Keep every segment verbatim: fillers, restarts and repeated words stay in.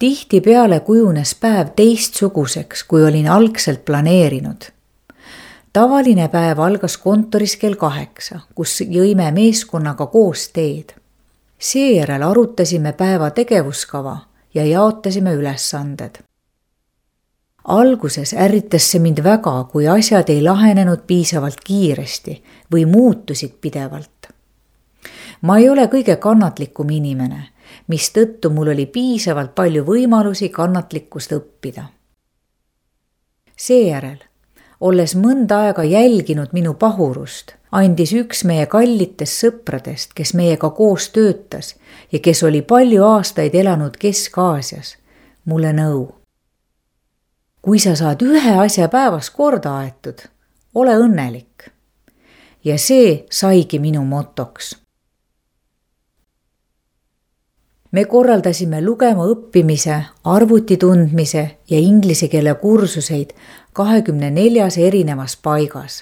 Tihtipeale kujunes päev teistsuguseks, kui olin algselt planeerinud. Tavaline päev algas kontoris kell kaheksa, kus jõime meeskonnaga koos teed. Seejärel arutasime päeva tegevuskava ja jaotasime ülesanded. Alguses ärritas see mind väga, kui asjad ei lahenenud piisavalt kiiresti või muutusid pidevalt. Ma ei ole kõige kannatlikum inimene, mistõttu mul oli piisavalt palju võimalusi kannatlikkust õppida. Seejärel, olles mõnda aega jälginud minu pahurust, andis üks meie kallitest sõpradest, kes meiega koos töötas ja kes oli palju aastaid elanud Kesk-Aasias, mulle nõu. Kui sa saad ühe asja päevas korda aetud, ole õnnelik. Ja see saigi minu motoks. Me korraldasime lugema õppimise, arvuti tundmise ja inglise keele kursuseid kahekümne neljas erinevas paigas.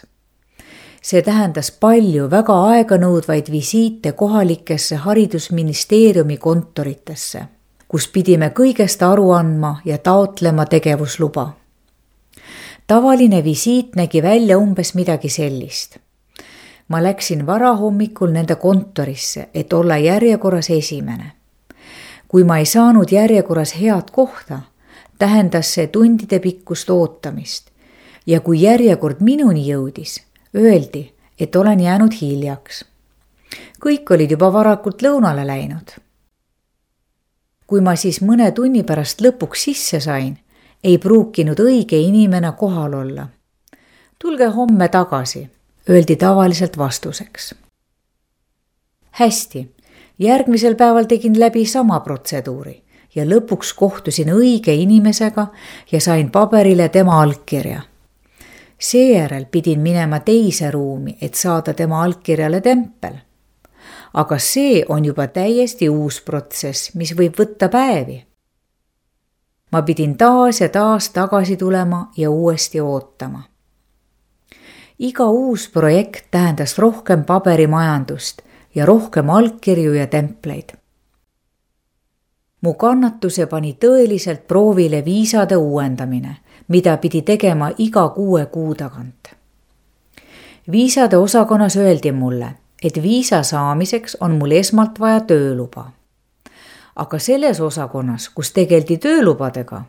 See tähendas palju väga aeganõudvaid visiite kohalikesse haridusministeeriumi kontoritesse, kus pidime kõigest aru andma ja taotlema tegevusluba. Tavaline visiit nägi välja umbes midagi sellist. Ma läksin varahommikul nende kontorisse, et olla järjekorras esimene. Kui ma ei saanud järjekorras head kohta, tähendas see tundide pikkust ootamist ja kui järjekord minuni jõudis, öeldi, et olen jäänud hiljaks. Kõik olid juba varakult lõunale läinud. Kui ma siis mõne tunni pärast lõpuks sisse sain, ei pruukinud õige inimene kohal olla. Tulge homme tagasi, öeldi tavaliselt vastuseks. Hästi. Järgmisel päeval tegin läbi sama protseduuri ja lõpuks kohtusin õige inimesega ja sain paberile tema allkirja. Seejärel pidin minema teise ruumi, et saada tema allkirjale tempel. Aga see on juba täiesti uus protsess, mis võib võtta päevi. Ma pidin taas ja taas tagasi tulema ja uuesti ootama. Iga uus projekt tähendas rohkem paberimajandust ja rohkem allkirju ja templeid. Mu kannatuse pani tõeliselt proovile viisade uuendamine, mida pidi tegema iga kuue kuu tagant. Viisade osakonnas öeldi mulle, et viisa saamiseks on mul esmalt vaja tööluba. Aga selles osakonnas, kus tegeldi töölubadega,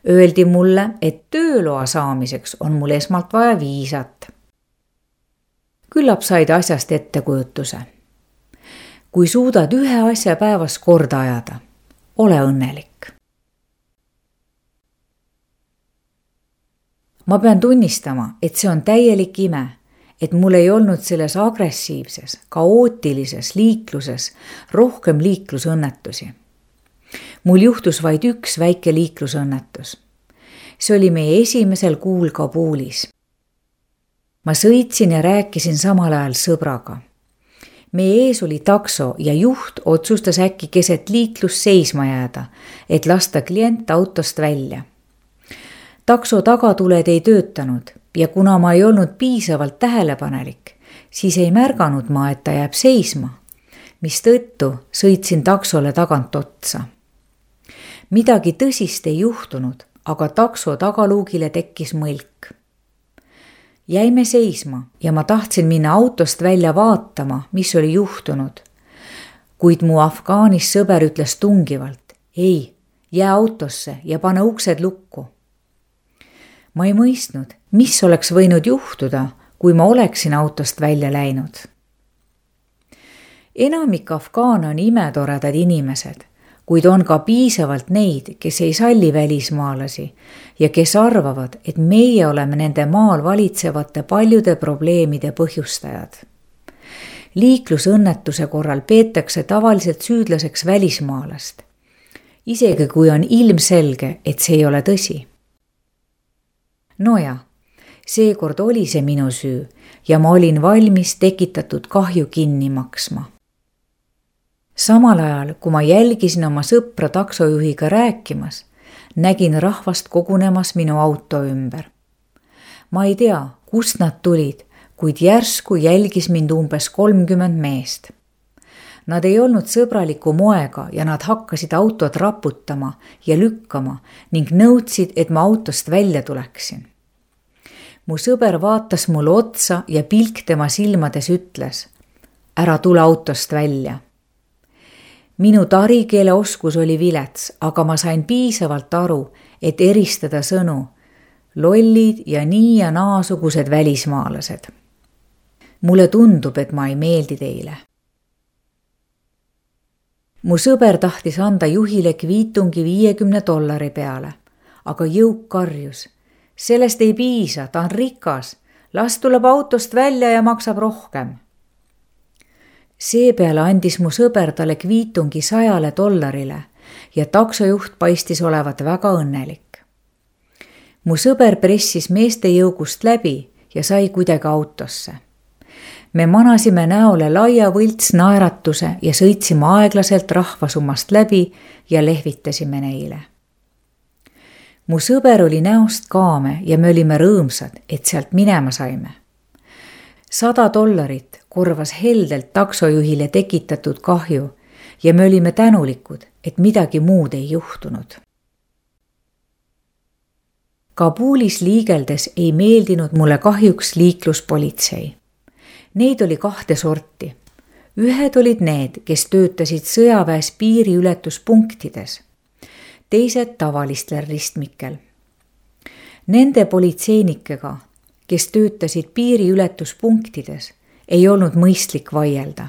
öeldi mulle, et tööloa saamiseks on mul esmalt vaja viisat. Küllap said asjast ettekujutuse. Kui suudad ühe asja päevas korda ajada, ole õnnelik. Ma pean tunnistama, et see on täielik ime, et mul ei olnud selles agressiivses, kaootilises liikluses rohkem liiklusõnnetusi. Mul juhtus vaid üks väike liiklusõnnetus. See oli meie esimesel kuul Kabulis. Ma sõitsin ja rääkisin samal ajal sõbraga. Meie ees oli takso ja juht otsustas äkki keset liiklus seisma jääda, et lasta klient autost välja. Takso tagatuled ei töötanud ja kuna ma ei olnud piisavalt tähelepanelik, siis ei märganud ma, et ta jääb seisma, mistõttu sõitsin taksole tagant otsa. Midagi tõsist ei juhtunud, aga takso tagaluugile tekkis mõlk. Jäime seisma ja ma tahtsin minna autost välja vaatama, mis oli juhtunud. Kuid mu Afgaanis sõber ütles tungivalt, ei, jää autosse ja pane uksed lukku. Ma ei mõistnud, mis oleks võinud juhtuda, kui ma oleksin autost välja läinud. Enamik afgaane on imetoredad inimesed, kuid on ka piisavalt neid, kes ei salli välismaalasi ja kes arvavad, et meie oleme nende maal valitsevate paljude probleemide põhjustajad. Liiklusõnnetuse korral peetakse tavaliselt süüdlaseks välismaalast, isegi kui on ilmselge, et see ei ole tõsi. No ja, seekord oli see minu süü ja ma olin valmis tekitatud kahju kinni maksma. Samal ajal, kui ma jälgisin oma sõpra taksojuhiga rääkimas, nägin rahvast kogunemas minu auto ümber. Ma ei tea, kust nad tulid, kuid järsku jälgis mind umbes kolmkümmend meest. Nad ei olnud sõbraliku moega ja nad hakkasid autot raputama ja lükkama ning nõudsid, et ma autost välja tuleksin. Mu sõber vaatas mulle otsa ja pilk tema silmades ütles, ära tule autost välja. Minu tarikeele oskus oli vilets, aga ma sain piisavalt aru, et eristada sõnu, lollid ja nii ja naasugused välismaalased. Mulle tundub, et ma ei meeldi teile. Mu sõber tahtis anda juhile kviitungi viiekümne dollari peale, aga jõuk karjus. Sellest ei piisa, ta on rikas, las tuleb autost välja ja maksab rohkem. Seepeale andis mu sõber talle kviitungi sajale dollarile ja taksojuht paistis olevat väga õnnelik. Mu sõber pressis meeste jõugust läbi ja sai kuidagi autosse. Me manasime näole laia võlts naeratuse ja sõitsime aeglaselt rahvasummast läbi ja lehvitasime neile. Mu sõber oli näost kaame ja me olime rõõmsad, et sealt minema saime. Sada dollarit korvas heldelt taksojuhile tekitatud kahju ja me olime tänulikud, et midagi muud ei juhtunud. Kabulis liigeldes ei meeldinud mulle kahjuks liikluspolitsei. Neid oli kahte sorti. Ühed olid need, kes töötasid sõjaväes piiriületuspunktides, teised tavalistel ristmikel. Nende politseinikega, kes töötasid piiriületuspunktides, ei olnud mõistlik vaielda.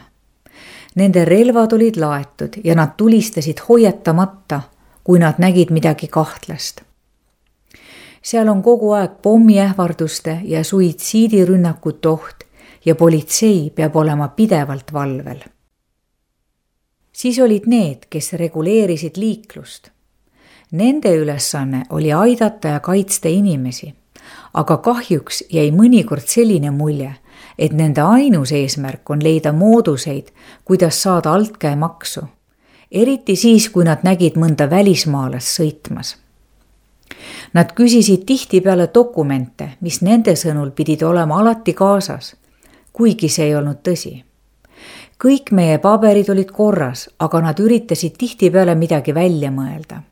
Nende relvad olid laetud ja nad tulistasid hoiatamata, kui nad nägid midagi kahtlast. Seal on kogu aeg pommiähvarduste ja suitsiidirünnakute oht ja politsei peab olema pidevalt valvel. Siis olid need, kes reguleerisid liiklust. Nende ülesanne oli aidata ja kaitsta inimesi, aga kahjuks jäi mõnikord selline mulje, et nende ainus eesmärk on leida mooduseid, kuidas saada altkäemaksu, eriti siis, kui nad nägid mõnda välismaalast sõitmas. Nad küsisid tihtipeale dokumente, mis nende sõnul pidid olema alati kaasas, kuigi see ei olnud tõsi. Kõik meie paberid olid korras, aga nad üritasid tihtipeale midagi välja mõelda.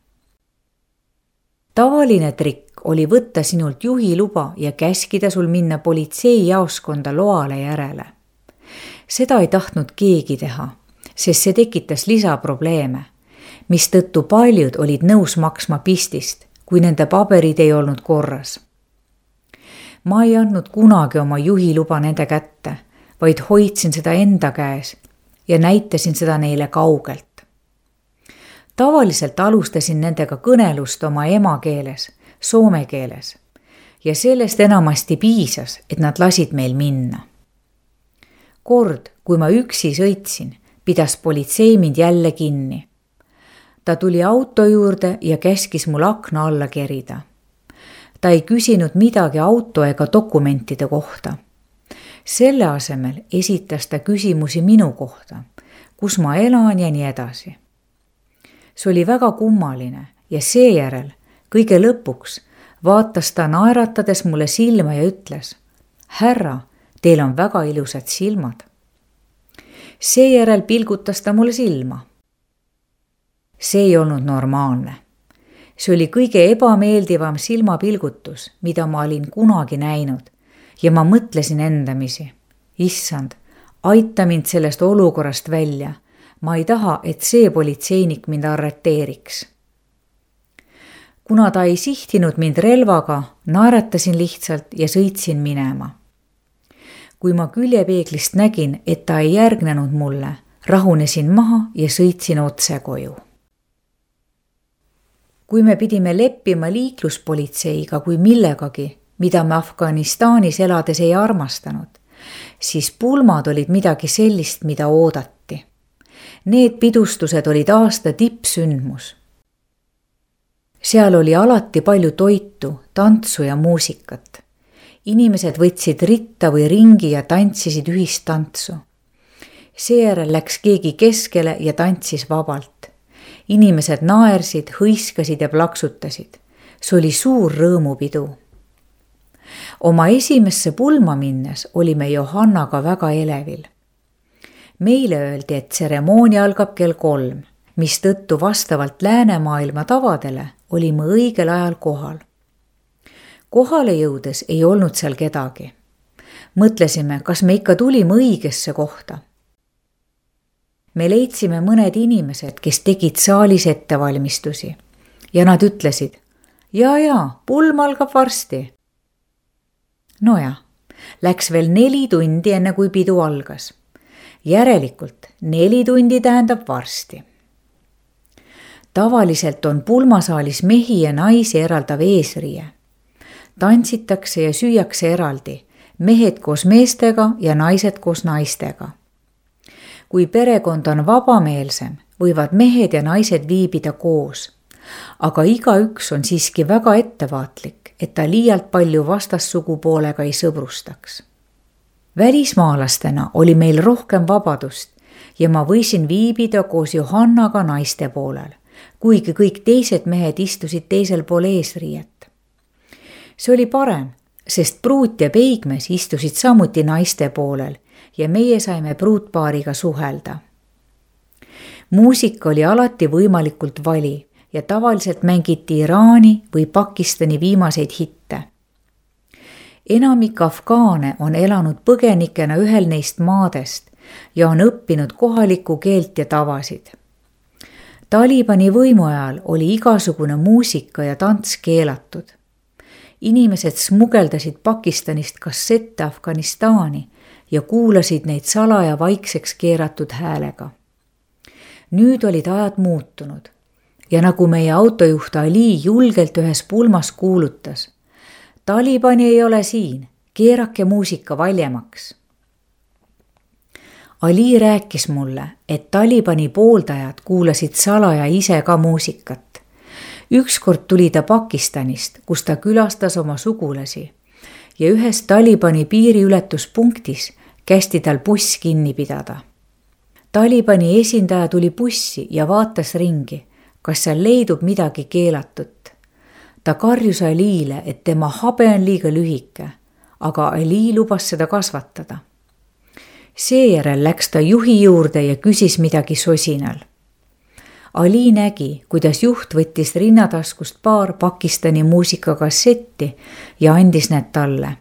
Tavaline trikk oli võtta sinult juhiluba ja käskida sul minna politseijaoskonda loale järele. Seda ei tahtnud keegi teha, sest see tekitas lisaprobleeme, mistõttu paljud olid nõus maksma pistist, kui nende paberid ei olnud korras. Ma ei andnud kunagi oma juhiluba nende kätte, vaid hoidsin seda enda käes ja näitasin seda neile kaugelt. Tavaliselt alustasin nendega kõnelust oma emakeeles, soome keeles, ja sellest enamasti piisas, et nad lasid meil minna. Kord, kui ma üksi sõitsin, pidas politsei mind jälle kinni. Ta tuli auto juurde ja käskis mul akna alla kerida. Ta ei küsinud midagi auto ega dokumentide kohta. Selle asemel esitas ta küsimusi minu kohta, kus ma elan ja nii edasi. See oli väga kummaline ja seejärel, kõige lõpuks, vaatas ta naeratades mulle silma ja ütles, härra, teil on väga ilusad silmad. Seejärel pilgutas ta mulle silma. See ei olnud normaalne. See oli kõige ebameeldivam silmapilgutus, mida ma olin kunagi näinud ja ma mõtlesin endamisi. Issand, aita mind sellest olukorrast välja. Ma ei taha, et see politseinik mind arreteeriks. Kuna ta ei sihtinud mind relvaga, naeratasin lihtsalt ja sõitsin minema. Kui ma küljepeeglist nägin, et ta ei järgnenud mulle, rahunesin maha ja sõitsin otse koju. Kui me pidime leppima liikluspolitseiga kui millegagi, mida me Afganistanis elades ei armastanud, siis pulmad olid midagi sellist, mida oodati. Need pidustused olid aasta tippsündmus. Seal oli alati palju toitu, tantsu ja muusikat. Inimesed võtsid ritta või ringi ja tantsisid ühist tantsu. Seejärel läks keegi keskele ja tantsis vabalt. Inimesed naersid, hõiskasid ja plaksutasid. See oli suur rõõmupidu. Oma esimesse pulma minnes olime Johannaga väga elevil. meile öeldi, et tseremoonia algab kell kolm, mistõttu vastavalt läänemaailma tavadele olime õigel ajal kohal. Kohale jõudes ei olnud seal kedagi. Mõtlesime, kas me ikka tulime õigesse kohta. Me leidsime mõned inimesed, kes tegid saalis ettevalmistusi ja nad ütlesid, ja, ja, pulm algab varsti. Noja, läks veel neli tundi enne kui pidu algas. Järelikult neli tundi tähendab varsti. Tavaliselt on pulmasaalis mehi ja naisi eraldav eesriie. Tantsitakse ja süüakse eraldi, mehed koos meestega ja naised koos naistega. Kui perekond on vabameelsem, võivad mehed ja naised viibida koos, aga igaüks on siiski väga ettevaatlik, et ta liialt palju vastassugupoolega ei sõbrustaks. Välismaalastena oli meil rohkem vabadust ja ma võisin viibida koos Johannaga naiste poolel, kuigi kõik teised mehed istusid teisel pool eesriiet. See oli parem, sest pruut ja peigmees istusid samuti naiste poolel ja meie saime pruutpaariga suhelda. Muusika oli alati võimalikult vali ja tavaliselt mängiti Iraani või Pakistani viimaseid hitte. Enamik afgaane on elanud põgenikena ühel neist maadest ja on õppinud kohalikku keelt ja tavasid. Talibani võimu ajal oli igasugune muusika ja tants keelatud. Inimesed smugeldasid Pakistanist kassette Afganistani ja kuulasid neid salaja vaikseks keeratud häälega. Nüüd olid ajad muutunud ja nagu meie autojuht Ali julgelt ühes pulmas kuulutas, Talibani ei ole siin, keerake muusika valjemaks. Ali rääkis mulle, et Talibani pooldajad kuulasid salaja ise ka muusikat. Ükskord tuli ta Pakistanist, kus ta külastas oma sugulasi ja ühes Talibani piiriületuspunktis kästi tal buss kinni pidada. Talibani esindaja tuli bussi ja vaatas ringi, kas seal leidub midagi keelatut. Ta karjus Aliile, et tema habe on liiga lühike, aga Ali lubas seda kasvatada. Seejärel läks ta juhi juurde ja küsis midagi sosinal. Ali nägi, kuidas juht võttis rinnataskust paar Pakistani muusikakassetti ja andis need talle.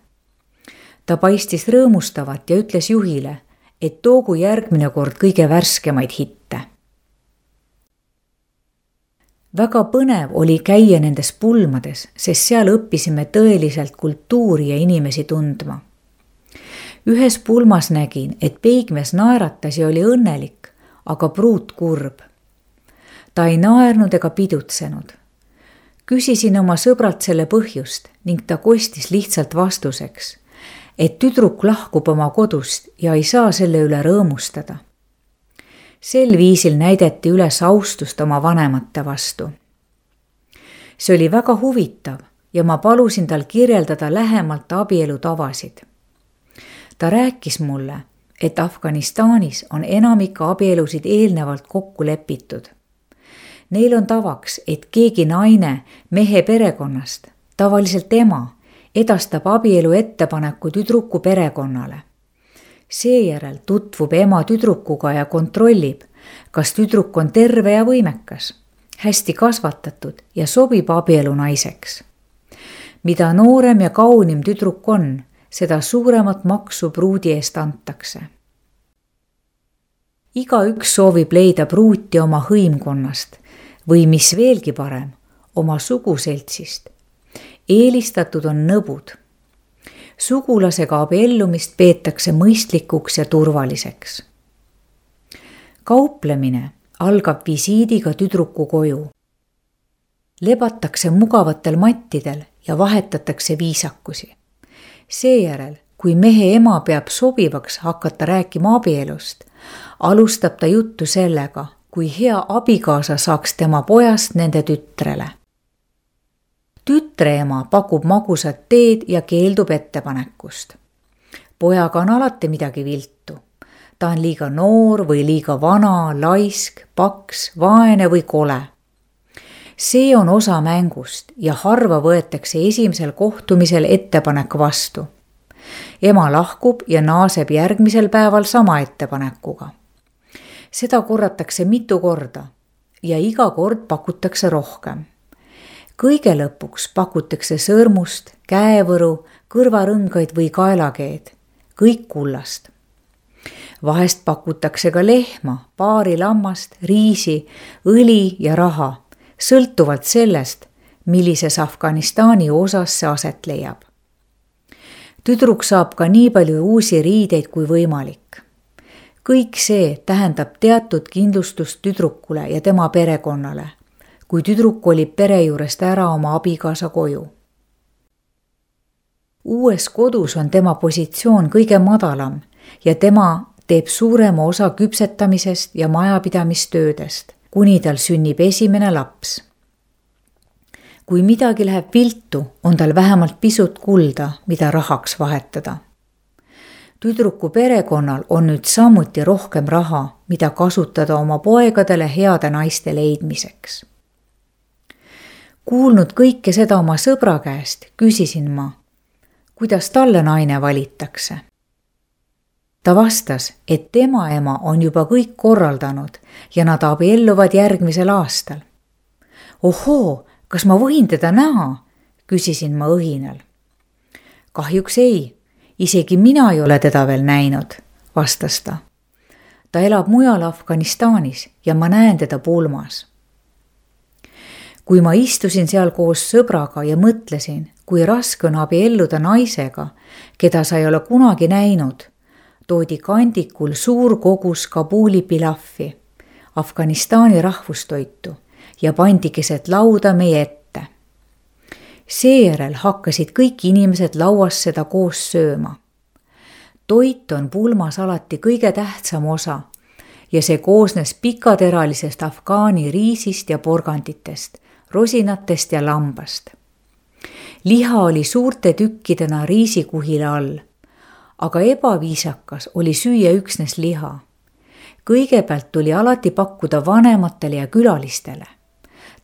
Ta paistis rõõmustavat ja ütles juhile, et toogu järgmine kord kõige värskemaid hitte. Väga põnev oli käia nendes pulmades, sest seal õppisime tõeliselt kultuuri ja inimesi tundma. Ühes pulmas nägin, et peigmees naeratas ja oli õnnelik, aga pruut kurb. Ta ei naernud ega pidutsenud. Küsisin oma sõbralt selle põhjust ning ta kostis lihtsalt vastuseks, et tüdruk lahkub oma kodust ja ei saa selle üle rõõmustada. Sel viisil näideti üles austust oma vanemate vastu. See oli väga huvitav ja ma palusin tal kirjeldada lähemalt abielu tavasid. Ta rääkis mulle, et Afganistanis on enamik abielusid eelnevalt kokku lepitud. Neil on tavaks, et keegi naine mehe perekonnast, tavaliselt ema, edastab abielu ettepaneku tüdruku perekonnale. Seejärel tutvub ema tüdrukuga ja kontrollib, kas tüdruk on terve ja võimekas, hästi kasvatatud ja sobib abielu naiseks. Mida noorem ja kaunim tüdruk on, seda suuremat maksu pruudi eest antakse. Igaüks soovib leida pruuti oma hõimkonnast või mis veelgi parem, oma suguseltsist. Eelistatud on nõbud. Sugulasega abiellumist peetakse mõistlikuks ja turvaliseks. Kauplemine algab visiidiga tüdruku koju. Lebatakse mugavatel mattidel ja vahetatakse viisakusi. Seejärel, kui mehe ema peab sobivaks hakata rääkima abielust, alustab ta juttu sellega, kui hea abikaasa saaks tema pojast nende tütrele. Tütre ema pakub magusat teed ja keeldub ettepanekust. Pojaga on alati midagi viltu. Ta on liiga noor või liiga vana, laisk, paks, vaene või kole. See on osa mängust ja harva võetakse esimesel kohtumisel ettepanek vastu. Ema lahkub ja naaseb järgmisel päeval sama ettepanekuga. seda korratakse mitu korda ja iga kord pakutakse rohkem. Kõige lõpuks pakutakse sõrmust, käevõru, kõrvarõngaid või kaelakeed, kõik kullast. Vahest pakutakse ka lehma, paari lammast, riisi, õli ja raha, sõltuvalt sellest, millises Afganistani osas see aset leiab. Tüdruk saab ka nii palju uusi riideid kui võimalik. Kõik see tähendab teatud kindlustust tüdrukule ja tema perekonnale, kui tüdruk olib pere juurest ära oma abikaasa koju. Uues kodus on tema positsioon kõige madalam ja tema teeb suurema osa küpsetamisest ja majapidamistöödest, kuni tal sünnib esimene laps. Kui midagi läheb viltu, on tal vähemalt pisut kulda, mida rahaks vahetada. Tüdruku perekonnal on nüüd samuti rohkem raha, mida kasutada oma poegadele heade naiste leidmiseks. Kuulnud kõike seda oma sõbra käest, küsisin ma, kuidas talle naine valitakse. Ta vastas, et tema ema on juba kõik korraldanud ja nad abielluvad järgmisel aastal. Ohoo, kas ma võin teda näha? Küsisin ma õhinal. Kahjuks ei, isegi mina ei ole teda veel näinud, vastas ta. Ta elab mujal Afganistanis ja ma näen teda pulmas. Kui ma istusin seal koos sõbraga ja mõtlesin, kui raske on abielluda naisega, keda sa ei ole kunagi näinud, toodi kandikul suur kogus Kabuli pilaffi, Afganistani rahvustoitu ja pandi keset lauda meie ette. Seejärel hakkasid kõik inimesed lauas seda koos sööma. Toit on pulmas alati kõige tähtsam osa ja see koosnes pikateralisest afgaani riisist ja porganditest, rosinatest ja lambast. Liha oli suurte tükkidena riisikuhile all, aga ebaviisakas oli süüa üksnes liha. Kõigepealt tuli alati pakkuda vanematele ja külalistele.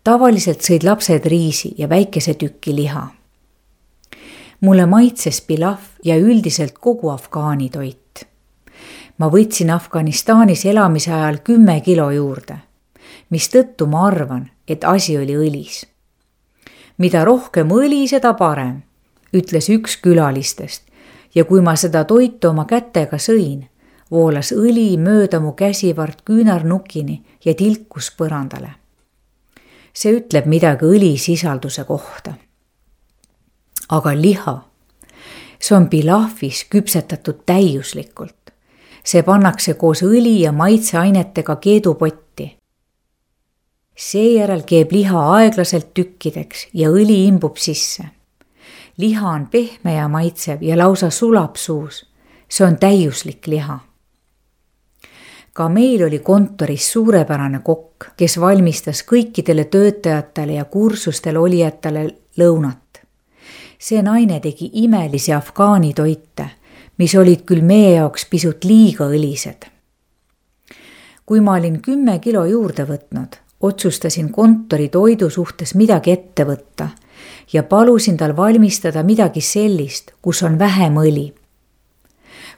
Tavaliselt sõid lapsed riisi ja väikese tükki liha. Mulle maitses pilaf ja üldiselt kogu afgaani toit. Ma võtsin Afganistanis elamise ajal kümme kilo juurde, mis tõttu ma arvan, et asi oli õlis. Mida rohkem õli, seda parem, ütles üks külalistest ja kui ma seda toitu oma kätega sõin, voolas õli mööda mu käsivart küünarnukini ja tilkus põrandale. See ütleb midagi õlisisalduse kohta. Aga liha, see on pilafis küpsetatud täiuslikult. See pannakse koos õli ja maitseainetega keedupotti. Seejärel keeb liha aeglaselt tükkideks ja õli imbub sisse. Liha on pehme ja maitsev ja lausa sulab suus. See on täiuslik liha. Ka meil oli kontoris suurepärane kokk, kes valmistas kõikidele töötajatele ja kursustel olijatele lõunat. See naine tegi imelisi afgaani toite, mis olid küll meie jaoks pisut liiga õlised. Kui ma olin kümme kilo juurde võtnud, otsustasin kontori toidu suhtes midagi ette võtta ja palusin tal valmistada midagi sellist, kus on vähem õli.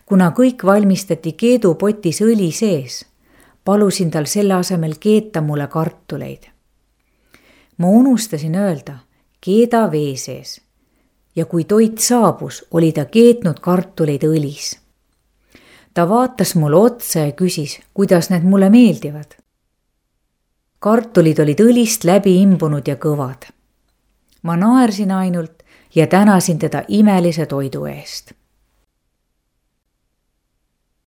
Kuna kõik valmistati keedupotis õli sees, palusin tal selle asemel keeta mulle kartuleid. Ma unustasin öelda, keeda vee sees ja kui toit saabus, oli ta keetnud kartuleid õlis. Ta vaatas mulle otsa ja küsis, kuidas need mulle meeldivad. Kartulid olid õlist läbi imbunud ja kõvad. Ma naersin ainult ja tänasin teda imelise toidu eest.